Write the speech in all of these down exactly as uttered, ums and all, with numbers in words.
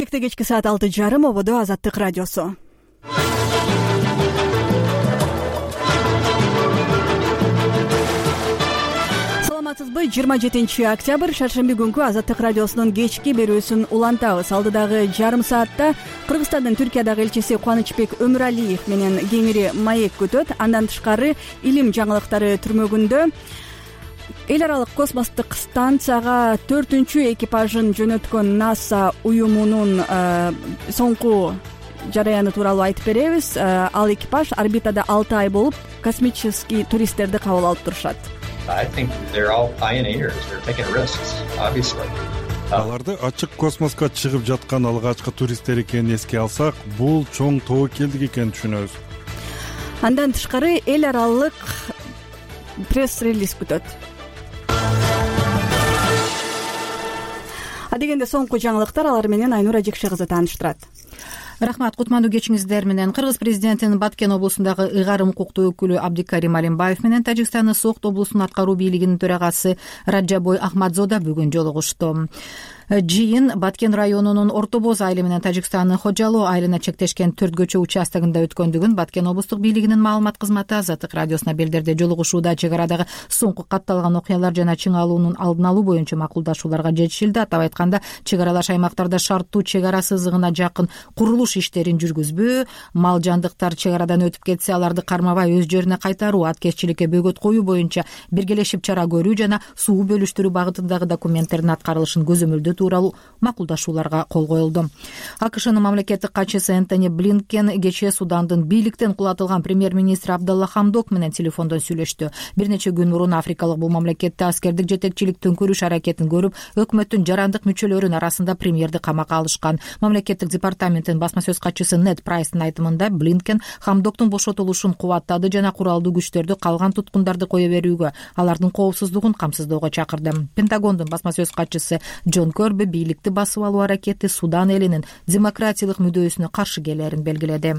Бишкекте кечки саат алты жарым ободо Азаттык радиосу. Саламатсызбы? жыйырма жетинчи октябрь шаршемби күнкү Азаттык радиосунун кечки берүүсүн улантабыз. Алдыдагы жарым саатта Кыргызстандын Түркиядагы элчиси Кубанычбек Өмүралиев менен кеңири маек күтөт. Андан тышкары илим жаңылыктары түрмөгүндө эл аралык космостук станцияга төртүнчү экипажын жөнөткөн НАСА уюмунун соңку жараяны тууралуу айтып беребиз. Ал экипаж орбитада алты ай болуп, космический туристтерди кабыл алып турушат. Аларды ачык космоско чыгып жаткан алгачкы туристтер экенин эске алсак, бул чоң тобокелдик экенин түшүнөбүз. Андан тышкары эл аралык пресс-релиз күтөт. Адегенде соңку жаңылыктар, алар менен Айнура Жекше кызы тааныштырат. Рахмат, кутмандуу кечиңиздер менен. Кыргыз президентинин Баткен облусундагы ыйгарым укуктуу өкүлү Абдикарим Алимбаев менен Тажикстандын Согд облусунун аткаруу бийлигинин төрагасы Раджабой Ахмадзода бүгүн жолугушту. Жыйын Баткен районунун Орто Боз айылы менен Тажикстандын Хочалоо айылына чектешкен төрт көчө участогунда өткөндүгүн Баткен облустук бийлигинин маалымат кызматы Азаттык радиосуна билдирди. Жолугушууда чек арадагы соңку катталган окуялар жана чың алуунун алдын алуу боюнча макулдашууларга жетишилди. Атап айтканда, чек аралаш аймактарда шарттуу чек ара сызыгына жакын курулуш иштерин жүргүзбөө, мал жандыктар чек арадан өтүп кетсе аларды кармабай өз жерине кайтаруу, аткезчиликке бөгөт коюу боюнча биргелешип чара көрүү жана суу бөлүштүрүү багытындагы документтердин аткарылышын көзөмөлдөө тууралуу макулдашууларга кол коюлду. АКШнын мамлекеттик катчысы Энтони Блинкен кечээ Судандын бийликтен кулатылган премьер-министри Абдалла Хамдок менен телефондон сүйлөштү. Бир нече күн мурун африкалык бул мамлекетте аскердик жетекчилик төңкөрүш аракетин көрүп, өкмөттүн жарандык мүчөлөрүнүн арасында премьерди камакка алышкан. Мамлекеттик департаменттин басма сөз катчысы Нед Прайстын айтымында, Блинкен Хамдоктун бошотулушун кубаттады жана куралдуу күчтөрдү калган туткундарды кое берүүгө, алардын коопсуздугун камсыздоого чакырды. Пентагондун басма сөз катчысы Джон Көрбү бийликти басып алуу аракети Судан элинин демократиялык мүдөөсүнө каршы келерин белгиледи.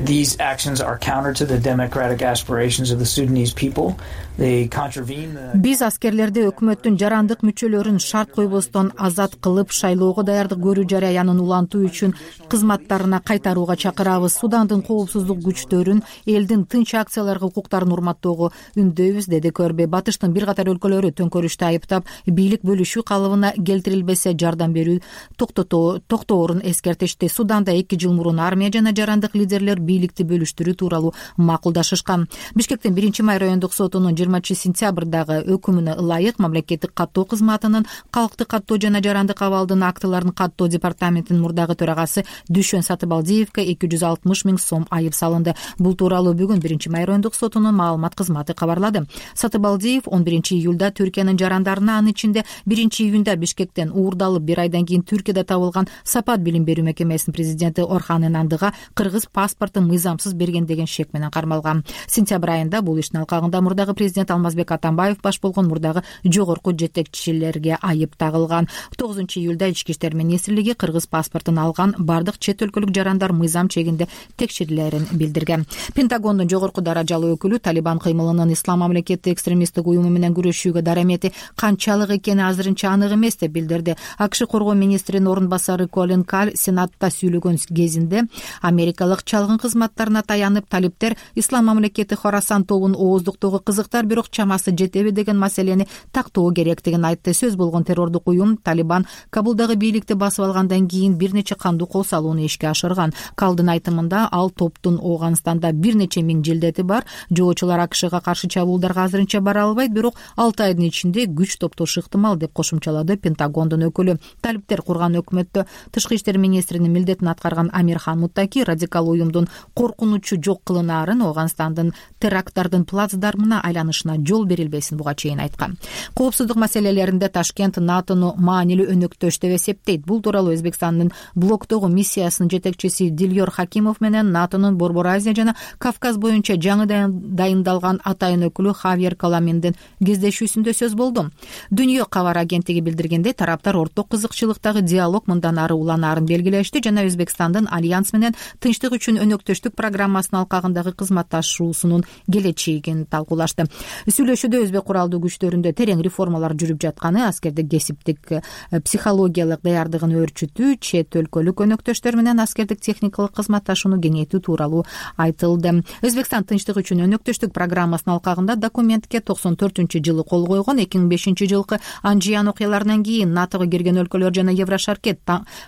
These actions are counter to the democratic aspirations of the Sudanese people. They contravene the... Биз аскерлерди өкмөттүн жарандык мүчөлөрүн шарт койбостон азат кылып, шайлоого даярдык көрүү жараянын улантуу үчүн кызматтарына кайтарууга чакырабыз. Судандын коопсуздук күчтөрүн элдин тынч акцияларга укуктарын урматтоого үндөйбүз, деди Көрбү. Батыштын бир катар өлкөлөрү төңкөрүштү айыптап, бийлик бөлүшүү калыбына келтирилбесе жардам берүү токтоорун эскертишти. Суданда эки жыл мурун армия жана жарандык лидерлер бийликти бөлүштүрүү тууралуу макулдашышкан. Бишкектин биринчи май райондук сотунун жыйырманчы сентябрдагы өкүмүнө ылайык мамлекеттик каттоо кызматынын калктык каттоо жана жарандык абалдын актыларын каттоо департаментинин мурдагы төрагасы Дүшөн Сатыбалдиевке эки жүз алтымыш миң сом айып салынды. Бул тууралуу бүгүн биринчи май райондук сотунун маалымат кызматы кабарлады. Сатыбалдиев он биринчи июлда Түркиянын жарандарына, анын ичинде биринчи июнда Бишкектен уурдалып бир айдан кийин Түркияда табылган Сапат билим берүү мекемесинин президенти Орхан Энандыга кыргыз паспорт мыйзамсыз берген деген шек менен кармалган. Сентябрь айында бул иштин алкагында мурдагы президент Алмазбек Атамбаев баш болгон мурдагы жогорку жетекчилерге айып тагылган. тогузунчу июлда Ички иштер министрлиги кыргыз паспортун алган бардык чет өлкөлүк жарандар мыйзам чегинде текшерилерин билдирген. Пентагондун жогорку даражалуу өкүлү Талибан кыймылынын ислам мамлекети экстремисттик уюму менен күрөшүүгө дарамети канчалык экени азырынча анык эмес деп билдирди. АКШ коргоо министринин орун басары Колин Калл Сенатта сүйлөгөн кезинде америкалык чалгын кызматтарына таянып, талиптер ислам мамлекети Хорасан тобун ооздуктоого кызыктар, бирок чамасы жетеби деген маселени тактоо керектигин айтты. Сөз болгон террордук уюм Талибан Кабулдагы бийликти басып алгандан кийин бир нече кандуу кол салууну ишке ашырган. Калдын айтымында, ал топтун Ооганстанда бир нече миң жилдети бар. Жоочулар АКШга каршы чабуулдарга азырынча бара албайт, бирок алты айдын ичинде күч топтошу ыктымал деп кошумчалады Пентагондун өкүлү. Талиптер курган өкмөттө тышкы иштер министринин милдетин аткарган Амирхан Муттаки радикал уюмдун коркунучу жок кылынаарын, Ооганстандын теракттардын плацдармына айланышына жол берилбесин буга чейин айткан. Коопсуздук маселелеринде Ташкент НАТОну маанилүү өнөктөш деп эсептейт. Бул тууралуу Өзбекстандын блоктогу миссиясынын жетекчиси Дилёр Хакимов менен НАТОнун Борбор Азия жана Кавказ боюнча жаңы дайындалган атайын өкүлү Хавьер Коламиндин кездешүүсүндө сөз болду. Дүйнө кабар агенттиги билдиргендей, тараптар орток кызыкчылыктагы диалог мындан ары уланаарын белгилешти жана Өзбекстандын альянс менен тынчтык үчүн өнөктөштүк программасынын алкагындагы кызматташуусунун келечегин талкуулашты. Сүйлөшүүдө өзбек куралдуу күчтөрүндө терең реформалар жүрүп жатканы, аскердик кесиптик психологиялык даярдыгын өөрчүтүү, чет өлкөлүк өнөктөштөр менен аскердик техникалык кызматташууну кеңейтүү тууралуу айтылды. Өзбекстан тынчтык үчүн өнөктөштүк программасынын алкагында документке токсон төртүнчү жылы кол койгон. эки миң бешинчи жылкы Анжиян окуяларынан кийин натого кирген өлкөлөр жана Еврошаркет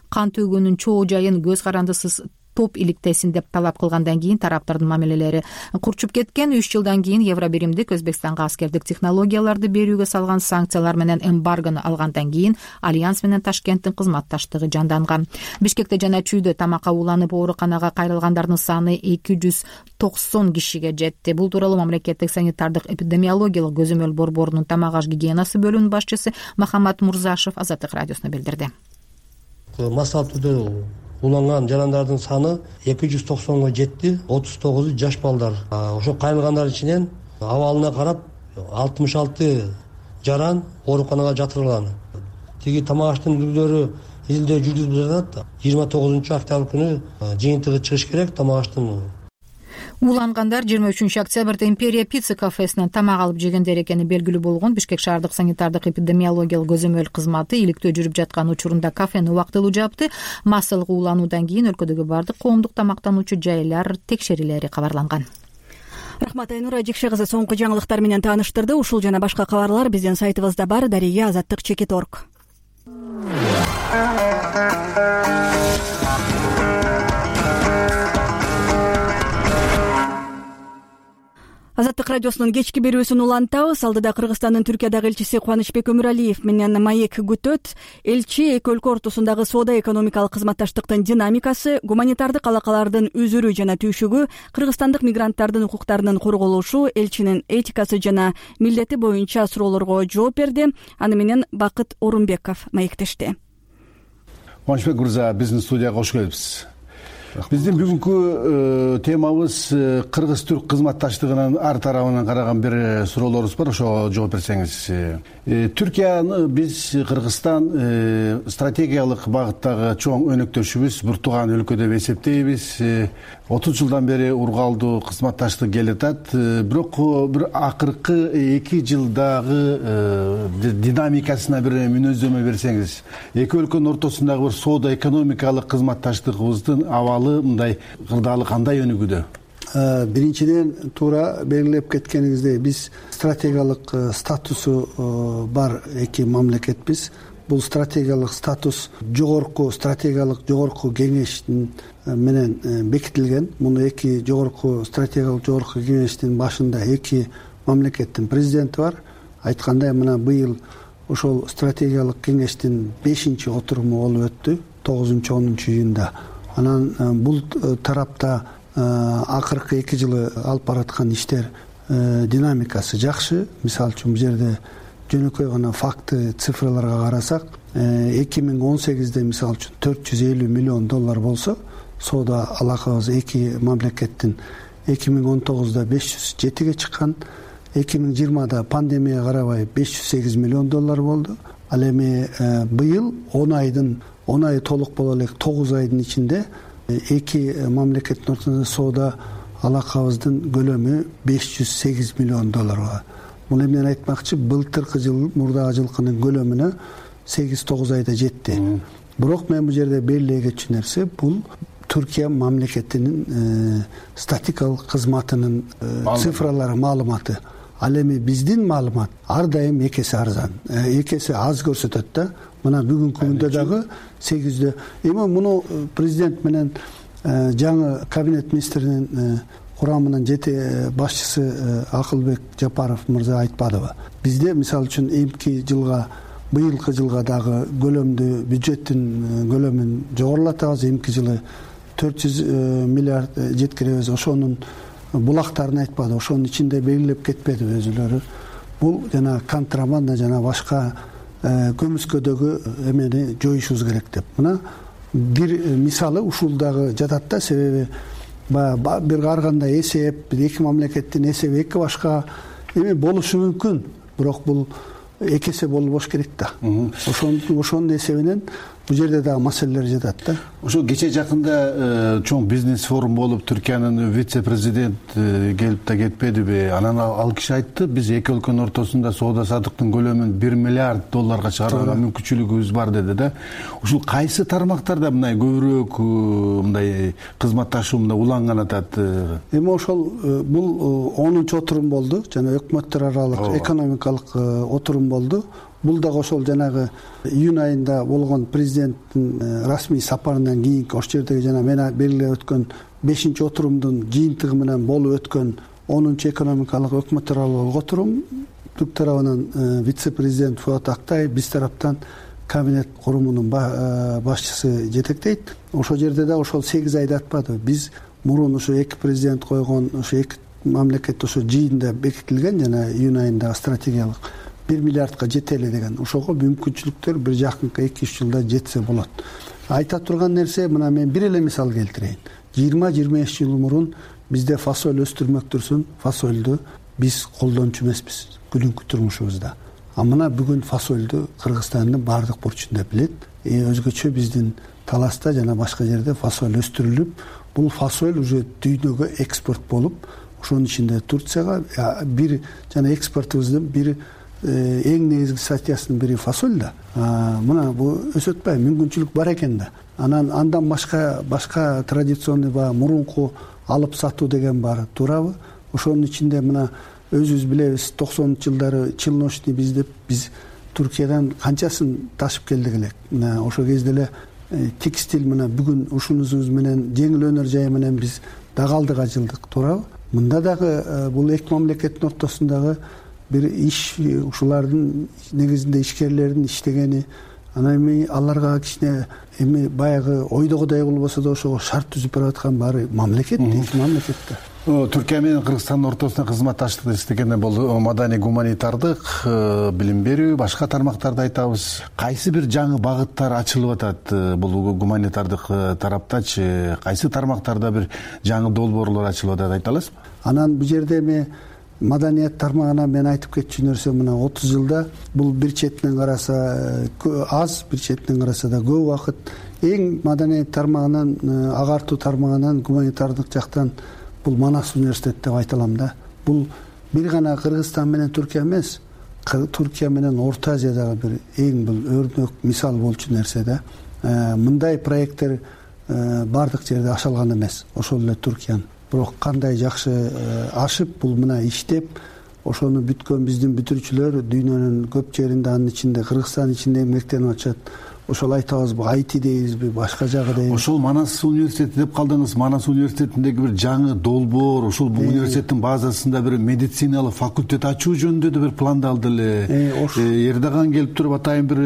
кан төгүүнүн чоо жайын көз карандысыз топ иликтесин деп талап кылгандан кийин тараптардын мамилелери курчуп кеткен. Үч жылдан кийин Евробиримдик Өзбекстанга аскердик технологияларды берүүгө салган санкциялар менен эмбаргону алгандан кийин Альянс менен Ташкенттин кызматташтыгы жанданган. Бишкекте жана Чүйдө тамакка ууланып ооруканага кайрылгандардын саны эки жүз токсон кишиге жетти. Бул тууралуу мамлекеттик санитардык эпидемиологиялык көзөмөл борборунун тамак аш гигиенасы бөлүмүнүн башчысы Махамат Мурзашев Азаттык радиосуна билдирди. Массалык түрдө уланган жарандардын саны эки жүз токсонго жетти. отуз тогузу жаш балдар. Ошо кайрылгандар ичинен абалына карап алтымыш алты жаран ооруканага жатырылган. Тиги тамак аштын түрлөрү элде жүргүзүлүп жатат. жыйырма тогузунчу октябрь күнү жыйынтыгы чыгыш керек тамак аштын. Уулангандар жыйырма үчүнчү октябрда Империя пицца кафесинен тамак алып жегендер экени белгилүү болгон. Бишкек шаардык санитардык эпидемиологиялык көзөмөл кызматы иликтөө жүрүп жаткан учурунда кафени убактылуу жапты. Массалык уулануудан кийин өлкөдөгү бардык коомдук тамактануучу жайлар текшерилери кабарланган. Рахмат Айнура Жекше кызы соңку жаңылыктар менен тааныштырды. Ушул жана башка кабарлар биздин сайтыбызда бар. Дария азаттык чекит точка орг. Азаттык радиосунун кечки берүүсүн улантабыз. Алдыда Кыргызстандын Түркиядагы элчиси Кубанычбек Өмүралиев менен маек күтөт. Элчи эки өлкө ортосундагы соода-экономикалык кызматташтыктын динамикасы, гуманитардык алакалардын үзүрүү жана түйшүгү, кыргызстандык мигранттардын укуктарынын корголушу, элчинин этикасы жана милдети боюнча суроолорго жооп берди. Аны менен Бакыт Орунбеков маектешти. Кубанычбек мырза, биздин студияга кош келипсиз. Биздин бүгүнкү темабыз кыргыз-түрк кызматташтыгынын ар тарабынан караган бир суроолорубуз бар, ошого жооп берсеңиз. Түркияны биз Кыргызстан стратегиялык багыттагы чоң өнөктөшүбүз, бир тууган өлкө деп эсептейбиз. отуз жылдан бери ургалдуу кызматташтык келе жатат. Бирок бир акыркы эки жылдагы динамикасына бир мүнөздөмө берсеңиз, эки өлкөнүн ортосундагы бир соода экономикалык кызматташтыгыбыздын абалы мындай кырдаалы кандай өнүгүүдө? Биринчиден туура белгилеп кеткениңиздей, биз стратегиялык статусу бар эки мамлекетпиз. Бул стратегиялык статус жогорку стратегиялык жогорку кеңештин менен бекитилген. Муну эки жогорку стратегиялык жогорку кеңештин башында эки мамлекеттин президенти бар. Айткандай, мына быйыл ошол стратегиялык кеңештин бешинчи отуруму болуп өттү, тогузунчу онунчу июнда. Анан бул тарапта акыркы эки жылы алып бараткан иштер динамикасы жакшы. Мисалы үчүн бул жерде жөнөкөй гана факты цифраларга карасак, эки миң он сегизде мисалы үчүн төрт жүз элүү миллион доллар болсо, соода алакабыз эки мамлекеттин эки миң он тогузда беш жүз жетиге чыккан, эки миң жыйырмада пандемия карабай беш жүз сегиз миллион доллар болду. Ал эми быйыл он айдын он ай толук боло элек тогуз айдын ичинде эки мамлекеттин ортосунда соода алакабыздын көлөмү беш жүз сегиз миллион долларга. Бул эмнени айтмакчы, былтыркы жыл мурдагы жылкынын көлөмүнө сегиз тогуз айда жетти. Бирок мен бул жерде белгилей кетчү нерсе, бул Түркия мамлекетинин статикалык кызматынын цифралары, маалыматы. Ал эми биздин маалымат ар дайым эки эсе арзан, эки эсе аз көрсөтөт да. Мына бүгүнкү күндө дагы сегизде. Эми муну президент менен жаңы кабинет министринин курамынын жети башчысы Акылбек Жапаров мырза айтпадыбы? Бизде мисалы үчүн эмки жылга, быйылкы жылга дагы көлөмдү, бюджеттин көлөмүн жогорулатабыз. Эмки жылы төрт жүз миллиард жеткиребиз. Ошонун булактарын айтпады, ошонун ичинде белгилеп кетпеди өзүлөрү. Бул жана контрабанда жана башка көмүскөдөгү эмени жоюшубуз керек деп. Мына бир мисалы ушул дагы жатат да, себеби бир ар кандай эсеп, эки мамлекеттин эсеби эки башка эми болушу мүмкүн, бирок бул эки эсе болбош керек да. Ошон ошонун эсебинен бул жерде дагы маселелер жатат да. Ошо кечээ жакында чоң бизнес форум болуп, Түркиянын вице президенти келип да кетпедиби? Анан ал киши айтты, биз эки өлкөнүн ортосунда соода саттыктын көлөмүн бир миллиард долларга чыгарууга мүмкүнчүлүгүбүз бар деди да. Ушул кайсы тармактарда мындай көбүрөөк мындай кызматташуу мындай уланган атат? Эми ошол бул онунчу отурум болду, жана өкмөттөр аралык экономикалык отурум болду. Бул дагы ошол жанагы июнь айында болгон президенттин расмий сапарынан кийинки ошол жердеги жана мен белгилеп өткөн бешинчи отурумдун жыйынтыгы менен болуп өткөн онунчу экономикалык өкмөттөр аралык отурум. Түрк тарабынан вице президент Фуат Актаев, биз тараптан кабинет курумунун башчысы жетектейт. Ошол жерде да ошол сегиз айда атпады. Биз мурун ошо эки президент койгон ошо эки мамлекет ошо жыйында бекитилген жана июнь айында стратегиялык бир миллиардка жетели деген. Ошого мүмкүнчүлүктөр бир жакынкы эки үч жылда жетсе болот. Айта турган нерсе, мына мен бир эле мисал келтирейин. жыйырма жыйырма беш жыл мурун бизде фасоль өстүрмөктүрсүн, фасольду биз колдончу эмеспиз күнүнкү турмушубузда. А мына бүгүн фасольду Кыргызстандын баардык бурчунда билет. Э, өзгөчө биздин Таласта жана башка жерде фасоль өстүрүлүп, бул фасоль уже дүйнөгө экспорт болуп, ошонун ичинде Турцияга бир жана экспортубуздун бир эң негизги статьясынын бири фасоль да. Мына бул өсөт атпайбы, мүмкүнчүлүк бар экен да. Анан андан башка башка традиционный баягы мурунку алып сатуу деген бар, туурабы? Ошонун ичинде мына өзүбүз билебиз, токсонунчу жылдары чылночный биз деп биз Түркиядан канчасын ташып келдик элек. Мына ошол кезде эле текстиль мына бүгүн ушунубуз менен жеңил өнөр жайы менен биз дагы алдыга жылдык, туурабы? Мында дагы бул эки мамлекеттин ортосундагы бир иш, ушулардын негизинде ишкерлердин иштегени, анан эми аларга кичине эми баягы ойдогудай болбосо да ошого шарт түзүп бараткан баары мамлекет, эки мамлекетте. Түркия менен Кыргызстандын ортосунда кызматташтык дегенде бул маданий гуманитардык, билим берүү, башка тармактарды айтабыз. Кайсы бир жаңы багыттар ачылып атат бул гуманитардык тараптачы? Кайсы тармактарда бир жаңы долбоорлор ачылып атат, айта аласызбы? Анан бул жерде эми маданият тармагына мен айтып кетчү нерсе, мына отуз жылда бул бир четинен караса аз, бир четинен караса да көп убакыт эң маданият тармагынан, агартуу тармагынан, гуманитардык жактан бул Манас университет деп айта алам да. Бул бир гана Кыргызстан менен Түркия эмес, Түркия менен Орто Азиядагы бир эң бул өрнөк мисал болчу нерсе да. Мындай проекттер бардык жерде ашалган эмес, ошол эле Түркиянын. Бирок кандай жакшы ашып, бул мына иштеп, ошону бүткөн биздин бүтүрүүчүлөр дүйнөнүн көп жеринде, анын ичинде Кыргызстан ичинде эмгектенип атышат. Ошол айтабызбы, Айти дейбизби, башка жагы дейбизби? Ошол Манас университети деп калдыңыз. Манас университетиндеги бир жаңы долбоор, ошол бул университеттин базасында бир медициналык факультет ачуу жөнүндө да бир пландалды эле. Эрдоган келип туруп атайын бир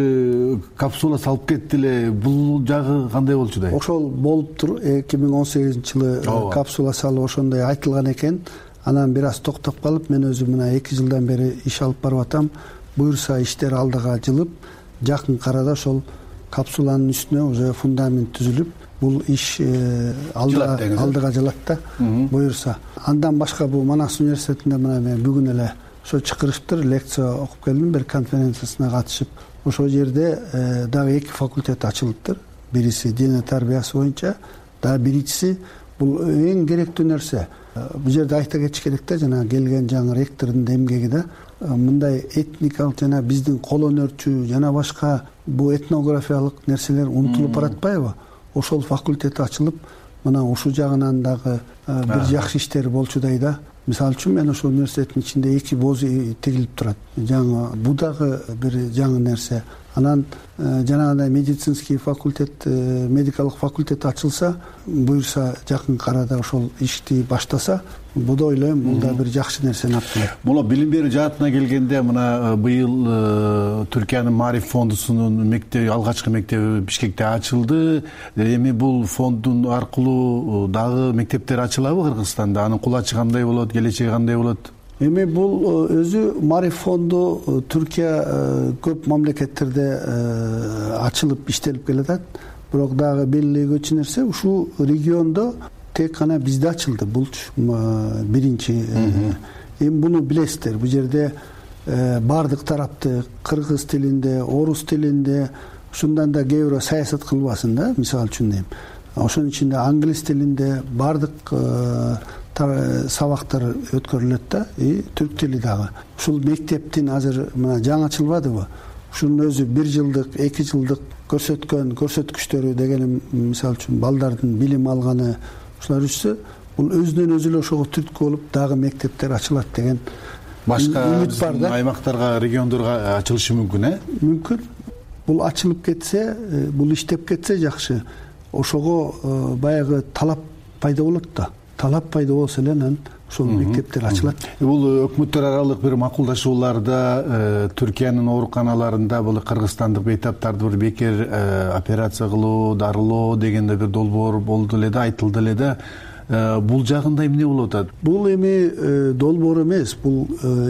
капсула салып кетти эле. Бул жагы кандай болчу да? Ошол болуп тур, эки миң он сегизинчи жылы капсула салып ошондой айтылган экен. Анан бир аз токтоп калып, мен өзүм мына эки жылдан бери иш алып барып атам. Буюрса иштер алдыга жылып, жакын арада ошол капсуланын үстүнө уже фундамент түзүлүп, бул иш алдыга жылат да, буюрса. Андан башка бул Манас университетинде мына мен бүгүн эле ошо чакырышыптыр, лекция окуп келдим, бир конференциясына катышып. Ошол жерде дагы эки факультет ачылыптыр. Бириси дене тарбиясы боюнча, дагы биринчиси бул эң керектүү нерсе. Бул жерде айта кетиш керек да, жана келген жаңы ректордун эмгеги да. Мындай этникалык жана биздин кол өнөрчү жана башка бул этнографиялык нерселер унутулуп баратпайбы? Ошол факультет ачылып, мына ушул жагынан дагы бир жакшы иштер болчудай да. Мисалы үчүн мен ошол университеттин ичинде эки боз тигилип турат. Жаңы бул дагы бир жаңы нерсе. Анан жанагындай медицинский факультет, медикалык факультет ачылса, буюрса жакын арада ошол ишти баштаса, бул да ойлойм, бул да бир жакшы нерсени алып келет. Муну билим берүү жаатына келгенде, мына быйыл Түркиянын Маариф фондусунун мектеби, алгачкы мектеби Бишкекте ачылды. Эми бул фондун аркылуу дагы мектептер ачылабы Кыргызстанда? Анын кулачы кандай болот, келечеги кандай болот? Эми бул өзү Маариф фонду Түркия көп мамлекеттерде ачылып иштелип келатат. Бирок дагы белгилегүчү нерсе, ушул региондо тек гана бизде ачылды. Бул биринчи. Эми буну билесиздер. Бул жерде баардык тарапты кыргыз тилинде, орус тилинде, ушундан да кээ бирөө саясат кылбасын да. Мисалы үчүн дейм, ошонун ичинде англис тилинде баардык сабактар өткөрүлөт да, и түрк тили дагы. Ушул мектептин азыр мына жаңы ачылбадыбы? Ушунун өзү бир жылдык, эки жылдык көрсөткөн көрсөткүчтөрү дегеним, мисалы үчүн балдардын билим алганы ушулар үчсө, бул өзүнөн өзү эле ошого түрткү болуп дагы мектептер ачылат деген башка үмүт бар да. Аймактарга, региондорго ачылышы мүмкүн, э? Мүмкүн. Бул ачылып кетсе, бул иштеп кетсе жакшы. Ошого баягы талап пайда болот да. Талап пайда болсо эле анан ошол мектептер ачылат. Бул өкмөттөр аралык бир макулдашууларда Түркиянын ооруканаларында бул кыргызстандык бейтаптарды бир бекер операция кылуу, дарылоо дегенде бир долбоор болду эле да, айтылды эле да. Бул жагында эмне болуп атат? Бул эми долбоор эмес, бул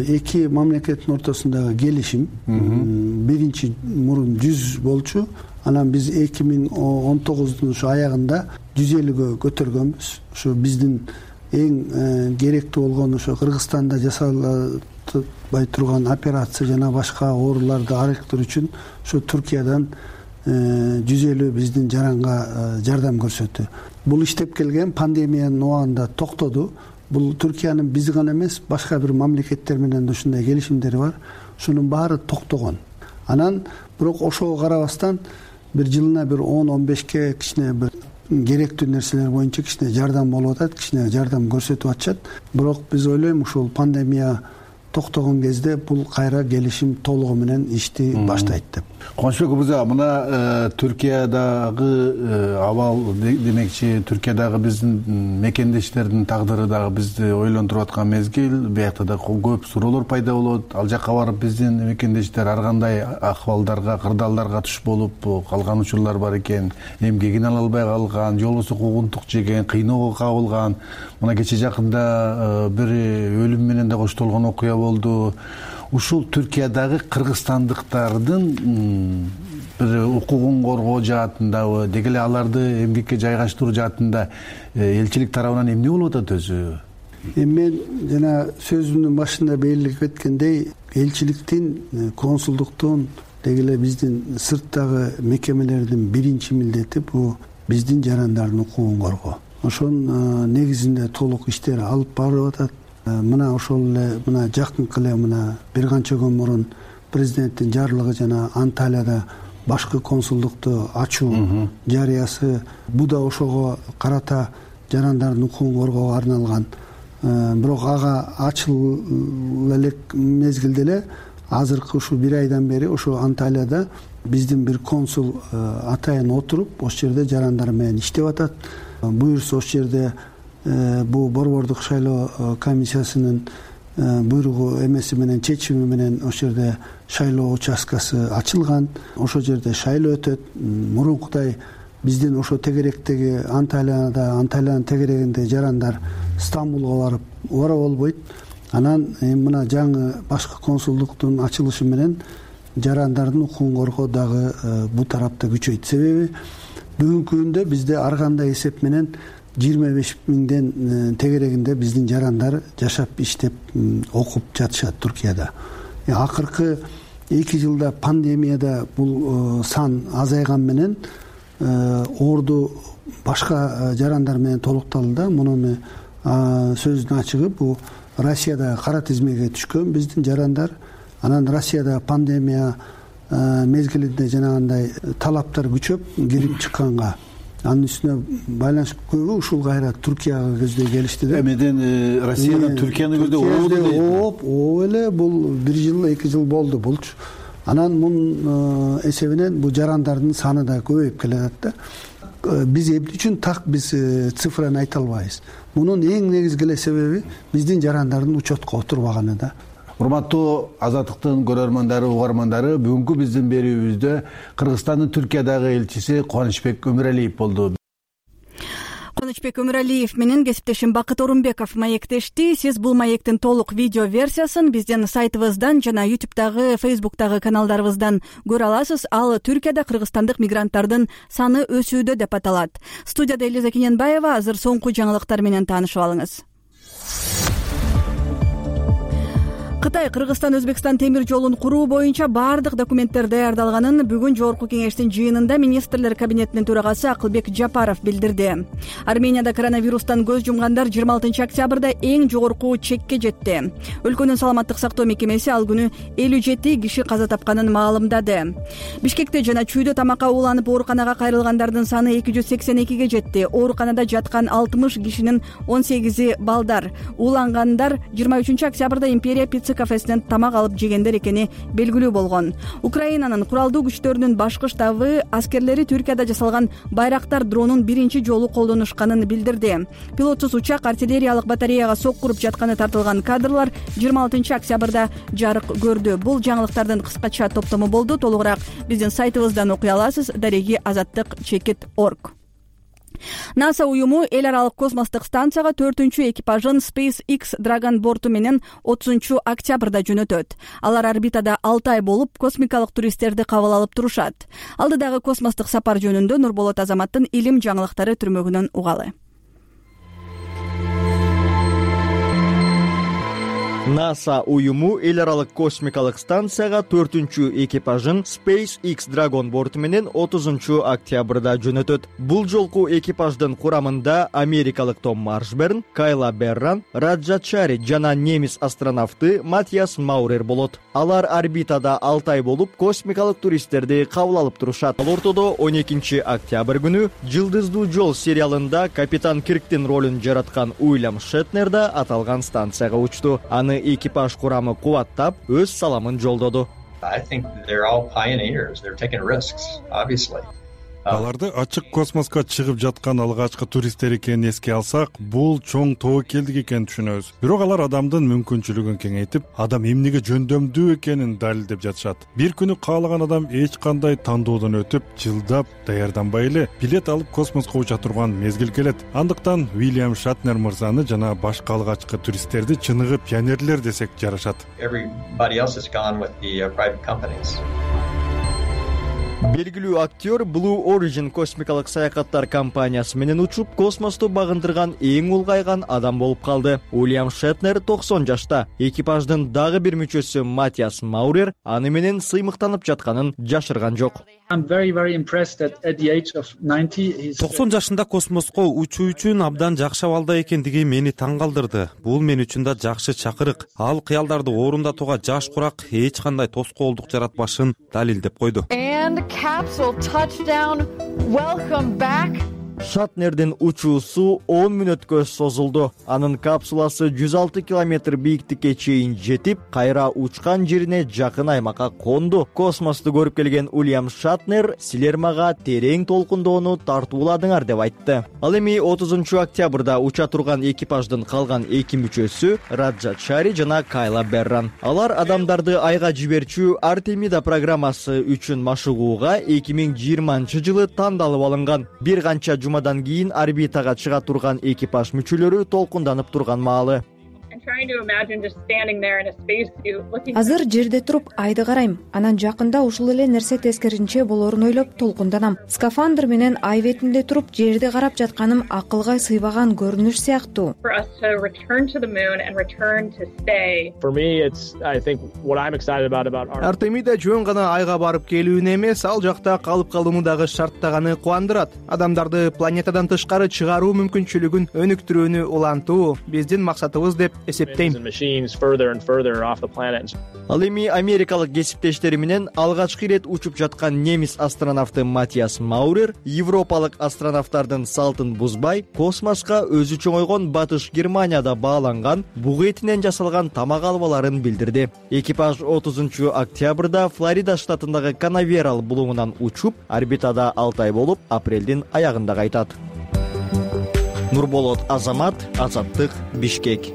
эки мамлекеттин ортосундагы келишим. Биринчи мурун жүз болчу, анан биз эки миң он тогуздун ушу аягында жүз элүүгө көтөргөнбүз. Ушу биздин эң керектүү болгон ошо Кыргызстанда жасалбай турган операция жана башка ооруларды арылтуу үчүн ошо Түркиядан жүз элүү биздин жаранга жардам көрсөттү. Бул иштеп келген пандемиянын убагында токтоду. Бул Түркиянын биз гана эмес, башка бир мамлекеттер менен да ушундай келишимдери бар. Ушунун баары токтогон. Анан бирок ошого карабастан бир жылына бир он он бешке кичине бир керектүү нерселер боюнча кичине жардам болуп атат, кичине жардам көрсөтүп атышат. Бирок биз ойлойм, ушул пандемия токтогон кезде бул кайра келишим толугу менен ишти баштайт деп. Кубанычбек мырза, мына Түркиядагы абал демекчи, Түркиядагы биздин мекендештердин тагдыры дагы бизди ойлонтуруп аткан мезгил. Биякта да көп суроолор пайда болот. Ал жакка барып биздин мекендештер ар кандай акыбалдарга, кырдаалдарга туш болуп калган учурлар бар экен. Эмгегин ала албай калган, же болбосо куугунтук жеген, кыйноого кабылган. Мына кече жакында бир өлүм менен да коштолгон окуя болду. Ушул Түркиядагы кыргызстандыктардын бир укугун коргоо жаатындабы, деги эле аларды эмгекке жайгаштыруу жаатында элчилик тарабынан эмне болуп атат өзү? Эми мен жана сөзүмдүн башында белгилеп кеткендей, элчиликтин, консулдуктун, деги эле биздин сырттагы мекемелердин биринчи милдети бул биздин жарандардын укугун коргоо. Ошонун негизинде толук иштер алып барылып атат. Мына ошол эле мына жакынкы эле мына бир канча күн мурун президенттин жарлыгы жана Анталияда башкы консулдукту ачуу жарыясы, бул да ошого карата жарандардын укугун коргоого арналган. Бирок ага ачыл элек мезгилде эле азыркы ушул бир айдан бери ошо Анталияда биздин бир консул атайын отуруп, ошол жерде жарандар менен иштеп атат. Буюрса ошол жерде бул борбордук шайлоо комиссиясынын буйругу эмеси менен, чечими менен ошол жерде шайлоо участкасы ачылган. Ошол жерде шайлоо өтөт. Мурункудай биздин ошо тегеректеги Анталияда, Анталиянын тегерегинде жарандар Стамбулга барып ора болбойт. Анан мына жаңы башкы консулдуктун ачылышы менен жарандардын укугун коргоо дагы бул тарапта күчөйт. Себеби бүгүнкү күндө бизде ар кандай эсеп менен жыйырма беш миңден тегерегинде биздин жарандар жашап, иштеп, окуп жатышат Түркияда. Акыркы эки жылда пандемияда бул сан азайган менен орду башка жарандар менен толукталды да. Муну сөздүн ачыгы бул Россияда кара тизмеге түшкөн биздин жарандар. Анан Россияда пандемия мезгилинде жанагындай талаптар күчөп кирип чыкканга, анын үстүнө байланыш көбү ушул кайра Түркияга көздөй келишти да. Эмеден Россиядан Түркияны көздөй ообу дейт. Ооп, ооп эле бул бир жыл, эки жыл болду булчу. Анан мунун эсебинен бул жарандардын саны да көбөйүп келатат да. Биз эмне үчүн так биз цифраны айта албайбыз. Мунун эң негизги эле себеби биздин жарандардын учетко отурбаганы да. Урматтуу Азаттыктын көрөрмандары, угармандары, бүгүнкү биздин берүүбүздө Кыргызстандын Түркиядагы элчиси Кубанычбек Өмүралиев болду. Кубанычбек Өмүралиев менен кесиптешим Бакыт Орунбеков маектешти. Сиз бул маектин толук видео версиясын биздин сайтыбыздан жана ютубтагы, фейсбуктагы каналдарыбыздан көрө аласыз. Ал Түркияда кыргызстандык мигранттардын саны өсүүдө деп аталат. Студияда Элиза Кененбаева. Азыр соңку жаңылыктар менен таанышып алыңыз. Кытай Кыргызстан Өзбекстан темир жолун куруу боюнча баардык документтер даярдалганын бүгүн жогорку кеңештин жыйынында министрлер кабинетинин төрагасы Акылбек Жапаров билдирди. Арменияда коронавирустан көз жумгандар жыйырма алтынчы октябрда эң жогорку чекке жетти. Өлкөнүн саламаттык сактоо мекемеси ал күнү элүү жети киши каза тапканын маалымдады. Бишкекте жана Чүйдө тамакка ууланып ооруканага кайрылгандардын саны эки жүз сексен экиге жетти. Ооруканада жаткан алтымыш кишинин он сегизи балдар. Уулангандар жыйырма үчүнчү октябрда Империя пицца кафесинен тамак алып жегендер экени белгилүү болгон. Украинанын куралдуу күчтөрүнүн башкы штабы аскерлери Түркияда жасалган Байрактар дронун биринчи жолу колдонушканын билдирди. Пилотсуз учак артиллериялык батареяга соккуруп жатканы тартылган кадрлар жыйырма алтынчы октябрда жарык көрдү. Бул жаңылыктардын кыскача топтому болду. Толугураак биздин сайтыбыздан окуй аласыз. Дареги азаттык чекит точка орг. НАСА уюму эл аралык космостук станцияга төртүнчү экипажын SpaceX Dragon борту менен отузунчу октябрда жөнөтөт. Алар орбитада алты ай болуп, космикалык туристтерди кабыл алып турушат. Алдыдагы космостук сапар жөнүндө Нурболот Азаматтын илим жаңылыктары түрмөгүнөн угалы. НАСА уюму эл аралык космикалык станцияга төртүнчү экипажын SpaceX Dragon борту менен отузунчу октябрда жөнөтөт. Бул жолку экипаждын курамында америкалык Том Маршберн, Кайла Берран, Раджа Чари жана немис астронавты Матиас Маурер болот. Алар орбитада алты ай болуп, космикалык туристтерди кабыл алып турушат. Ал ортодо он экинчи октябрь күнү Жылдыздуу жол сериалында капитан Кирктин ролун жараткан Уильям Шетнер да аталган станцияга учту. Аны экипаж курамы кубаттап, өз саламын жолдоду. Аларды ачык космоско чыгып жаткан алгачкы туристтер экенин эске алсак, бул чоң тобокелдик экенин түшүнөбүз. Бирок алар адамдын мүмкүнчүлүгүн кеңейтип, адам эмнеге жөндөмдүү экенин далилдеп жатышат. Бир күнү каалаган адам эч кандай тандоодон өтүп, жылдап даярданбай эле билет алып космоско уча турган мезгил келет. Андыктан Уильям Шетнер мырзаны жана башка алгачкы туристтерди чыныгы пионерлер десек жарашат. Белгилүү актер Blue Origin космикалык саякаттар компаниясы менен учуп, космосту багындырган эң улгайган адам болуп калды. Уильям Шетнер токсон жашта. Экипаждын дагы бир мүчөсү Матиас Маурер аны менен сыймыктанып жатканын жашырган жок. токсон жашында космоско учуу үчүн абдан жакшы абалда экендиги мени таң калтырды. Бул мен үчүн да жакшы чакырык. Ал кыялдарды орундатууга жаш курак эч кандай тоскоолдук жаратпашын далилдеп койду. Capsule touchdown. Welcome back. Шетнердин учуусу он мүнөткө созулду. Анын капсуласы жүз алты километр бийиктикке чейин жетип, кайра учкан жерине жакын аймакка конду. Космосту көрүп келген Уильям Шетнер силер мага терең толкундоону тартууладыңар деп айтты. Ал эми отузунчу октябрда уча турган экипаждын калган эки мүчөсү Раджа Чари жана Кайла Берран. Алар адамдарды айга жиберчү Артемида программасы үчүн машыгууга эки миң жыйырманчы жылы тандалып алынган. Бир канча жумадан кийин орбитага чыга турган экипаж мүчөлөрү толкунданып турган маалы. Азыр жерде туруп айды карайм. Анан жакында ушул эле нерсе тескеринче болорун ойлоп толкунданам. Скафандр менен ай бетинде туруп жерди карап жатканым акылга сыйбаган көрүнүш сыяктуу. Артемида жөн гана айга барып келүүнү эмес, ал жакта калып калууну дагы шарттаганы кубандырат. Адамдарды планетадан тышкары чыгаруу мүмкүнчүлүгүн өнүктүрүүнү улантуу биздин максатыбыз деп эсептейм. Ал эми америкалык кесиптештери менен алгачкы ирет учуп жаткан немис астронавты Матиас Маурер европалык астронавттардын салтын бузбай, космоско өзү чоңойгон Батыш Германияда бааланган буг этинен жасалган тамак албаларын билдирди. Экипаж отузунчу октябрда Флорида штатындагы Канаверал булуңунан учуп, орбитада алты ай болуп, апрелдин аягында кайтат. Нурболот Азамат, Азаттык, Бишкек.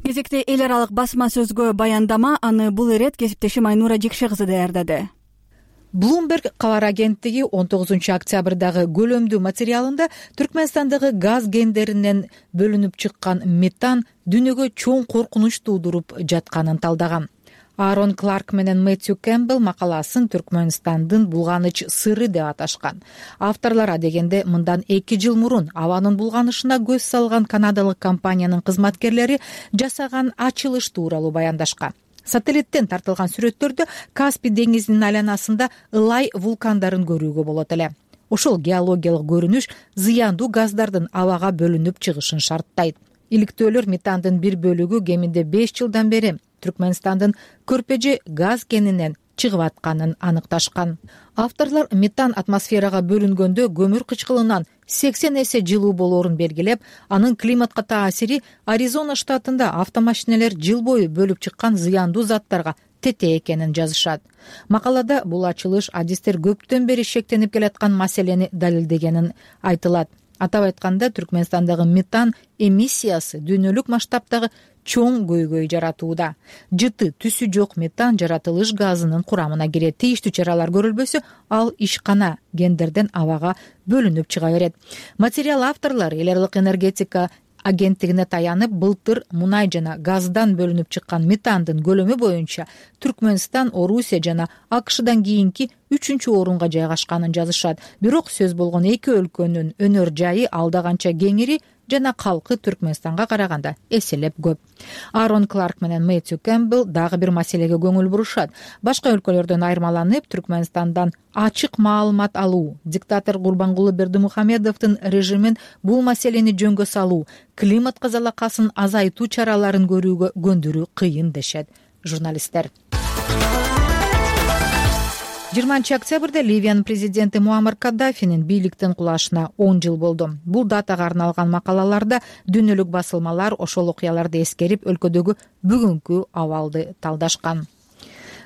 Кезекте эл аралык басма сөзгө баяндама, аны бул ирет кесиптешим Айнура Жекше кызы даярдады. Bloomberg кабар агенттиги он тогузунчу октябрдагы көлөмдүү материалында Түркмөнстандагы газ кендеринен бөлүнүп чыккан метан дүйнөгө чоң коркунуч туудуруп жатканын талдаган. Аарон Кларк менен Мэтью Кэмпбелл макаласын Түркмөнстандын булганыч сыры деп аташкан. Авторлор адегенде мындан эки жыл мурун абанын булганышына көз салган канадалык компаниянын кызматкерлери жасаган ачылыш тууралуу баяндашкан. Сателлиттен тартылган сүрөттөрдө Каспий деңизинин айланасында ылай вулкандарын көрүүгө болот эле. Ошол геологиялык көрүнүш зыяндуу газдардын абага бөлүнүп чыгышын шарттайт. Иликтөөлөр метандын бир бөлүгү кеминде беш жылдан бери Түркмөнстандын Көрпөжө газ кенинен чыгып атканын аныкташкан. Авторлор метан атмосферага бөлүнгөндө көмүр кычкылынан сексен эсе жылуу болоорун белгилеп, анын климатка таасири Аризона штатында автомашинелер жыл бою бөлүп чыккан зыяндуу заттарга тете экенин жазышат. Макалада бул ачылыш адистер көптөн бери шектенип келаткан маселени далилдегенин айтылат. Атап айтканда, Түркмөнстандагы метан эмиссиясы дүйнөлүк масштабтагы чоң көйгөй жаратууда. Жыты түсү жок метан жаратылыш газынын курамына кирет. Тийиштүү чаралар көрүлбөсө, ал ишкана гендерден абага бөлүнүп чыга берет. Материал авторлору эл аралык энергетика агенттигине таянып, былтыр мунай жана газдан бөлүнүп чыккан метандын көлөмү боюнча Түркмөнстан, Орусия жана АКШдан кийинки үчүнчү орунга жайгашканын жазышат. Бирок сөз болгон эки өлкөнүн өнөр жайы алда канча кеңири жана калкы Түркмөнстанга караганда эселеп көп. Аарон Кларк менен Мэтью Кэмпбелл дагы бир маселеге көңүл бурушат. Башка өлкөлөрдөн айырмаланып, Түркмөнстандан ачык маалымат алуу, диктатор Гурбангулы Бердимухамедовдун режимин бул маселени жөнгө салуу, климатка залакасын азайтуу чараларын көрүүгө көндүрүү кыйын дешет журналисттер. жыйырманчы октябрда Ливиянын президенти Муаммар Каддафинин бийликтен кулашына он жыл болду. Бул датага арналган макалаларда дүйнөлүк басылмалар ошол окуяларды эскерип, өлкөдөгү бүгүнкү абалды талдашкан.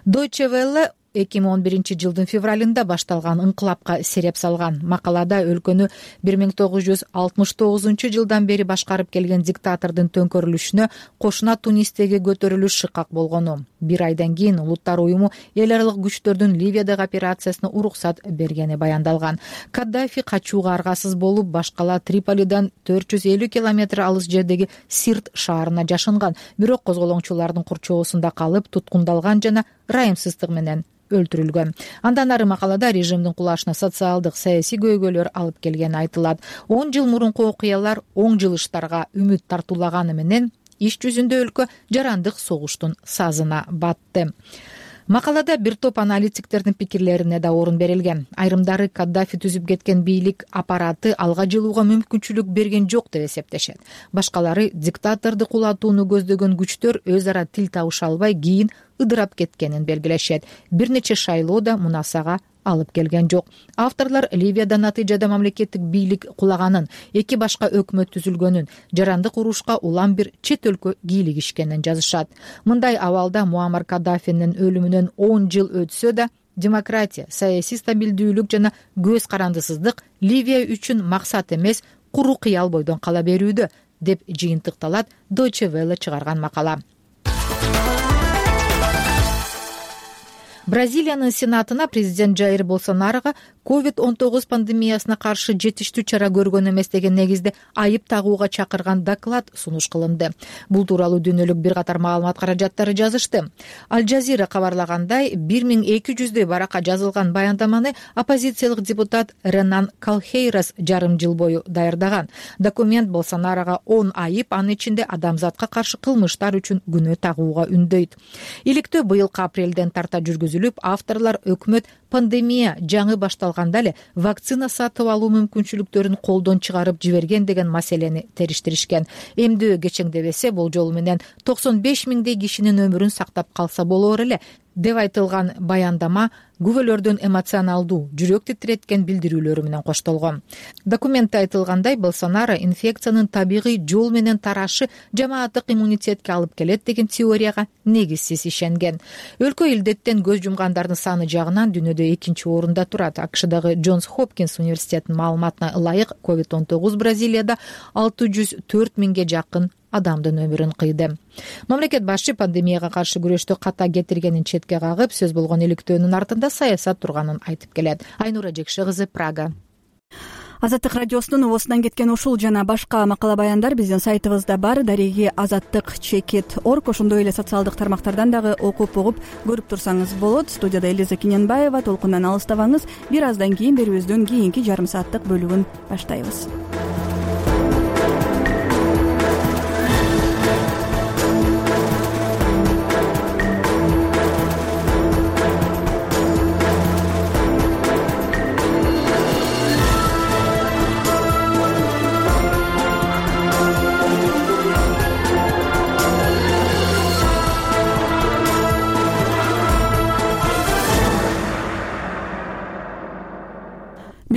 Deutsche Welle эки миң он биринчи жылдын февралында башталган ыңкылапка сереп салган. Макалада өлкөнү бир миң тогуз жүз алтымыш тогузунчу жылдан бери башкарып келген диктатордун төңкөрүлүшүнө кошуна Тунистеги көтөрүлүш шыкак болгону, бир айдан кийин Улуттар уюму эл аралык күчтөрдүн Ливиядагы операциясына уруксат бергени баяндалган. Каддафи качууга аргасыз болуп, башкала Триполидан төрт жүз элүү километр алыс жердеги Сирт шаарына жашынган, бирок козголоңчулардын курчоосунда калып, туткундалган жана ырайымсыздык менен өлтүрүлгөн. Андан ары макалада режимдин кулашына социалдык, саясий көйгөйлөр алып келгени айтылат. он жыл мурунку окуялар оң жылыштарга үмүт тартуулаганы менен иш жүзүндө өлкө жарандык согуштун сазына батты. Макалада бир топ аналитиктердин пикирлерине да орун берилген. Айрымдары Каддафи түзүп кеткен бийлик аппараты алга жылууга мүмкүнчүлүк берген жок деп эсептешет. Башкалары диктаторду кулатууну көздөгөн күчтөр өз ара тил табыша албай кийин ыдырап кеткенин белгилешет. Бир нече шайлоо да мунасага алып келген жок. Авторлор Ливияда натыйжада мамлекеттик бийлик кулаганын, эки башка өкмөт түзүлгөнүн, жарандык урушка улам бир чет өлкө кийлигишкенин жазышат. Мындай абалда Муаммар Каддафинин өлүмүнөн он жыл өтсө да, демократия, саясий стабилдүүлүк жана көз карандысыздык Ливия үчүн максат эмес, куру кыял бойдон кала берүүдө, деп жыйынтыкталат Deutsche Welle чыгарган макала. Бразилиянын сенатына президент Жаир Болсонарого ковид он тогуз пандемиясына каршы жетиштүү чара көргөн эмес деген негизде айып тагууга чакырган доклад сунуш кылынды. Бул тууралуу дүйнөлүк бир катар маалымат каражаттары жазышты. Аль Жазира кабарлагандай, бир миң эки жүздөй баракка жазылган баяндаманы оппозициялык депутат Ренан Калхейрас жарым жыл бою даярдаган. Документ Болсонарого он айып, анын ичинде адамзатка каршы кылмыштар үчүн күнөө тагууга үндөйт. Иликтөө быйылкы апрелден тарта жүргүзүлүп, авторлор өкмөт пандемия жаңы башталганда эле вакцина сатып алуу мүмкүнчүлүктөрүн колдон чыгарып жиберген деген маселени териштиришкен. Эмдөө кечеңдебесе, болжол менен токсон беш миңдей кишинин өмүрүн сактап калса болор эле деп айтылган баяндама күбөлөрдүн эмоционалдуу, жүрөк титиреткен билдирүүлөрү менен коштолгон. Документте айтылгандай, Болсонаро инфекциянын табигый жол менен тарашы жамааттык иммунитетке алып келет деген теорияга негизсиз ишенген. Өлкө илдеттен көз жумгандардын саны жагынан дүйнөдө экинчи орунда турат. АКШдагы Джонс Хопкинс университетинин маалыматына ылайык, ковид он тогуз Бразилияда алты жүз төрт миңге жакын адамдын өмүрүн кыйды. Мамлекет башчы пандемияга каршы күрөштү ката кетиргенин четке кагып, сөз болгон иликтөөнүн артында саясат турганын айтып келет. Айнура Жекше кызы, Прага. Азаттык радиосунун убосунан кеткен ушул жана башка макала баяндар биздин сайтыбызда бар. Дареги азаттык чекит орг. Ошондой эле социалдык тармактардан дагы окуп угуп көрүп турсаңыз болот. Студияда Элиза Кененбаева. Толкундан алыстабаңыз. Бир аздан кийин берүүбүздүн кийинки жарым сааттык бөлүгүн баштайбыз.